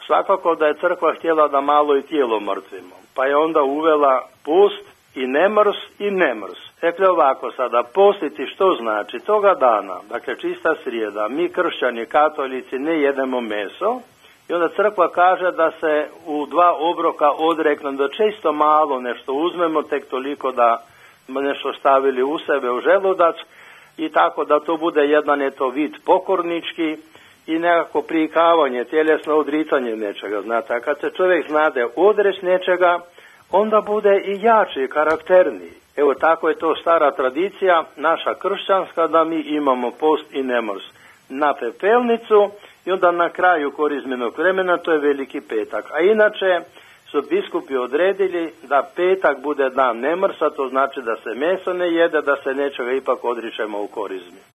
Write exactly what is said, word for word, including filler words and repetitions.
Svakako da je crkva htjela da malo i tijelo mrtvimo, pa je onda uvela post i nemrs i nemrs. Dakle ovako sada, postiti što znači? Toga dana, dakle čista srijeda, mi kršćani, katolici ne jedemo meso i onda crkva kaže da se u dva obroka odreknem, da čisto malo nešto uzmemo, tek toliko da nešto stavili u sebe u želudac i tako da to bude jedan je to vid pokornički i nekako prikavanje, tjelesno odricanje nečega. Znate, a kad se čovjek znade odreć nečega, onda bude i jači, karakterniji. Evo tako je to stara tradicija, naša kršćanska, da mi imamo post i nemrs na pepelnicu i onda na kraju korizmenog vremena, to je Veliki petak. A inače su biskupi odredili da petak bude dan nemrsa, to znači da se meso ne jede, da se nečega ipak odričemo u korizmi.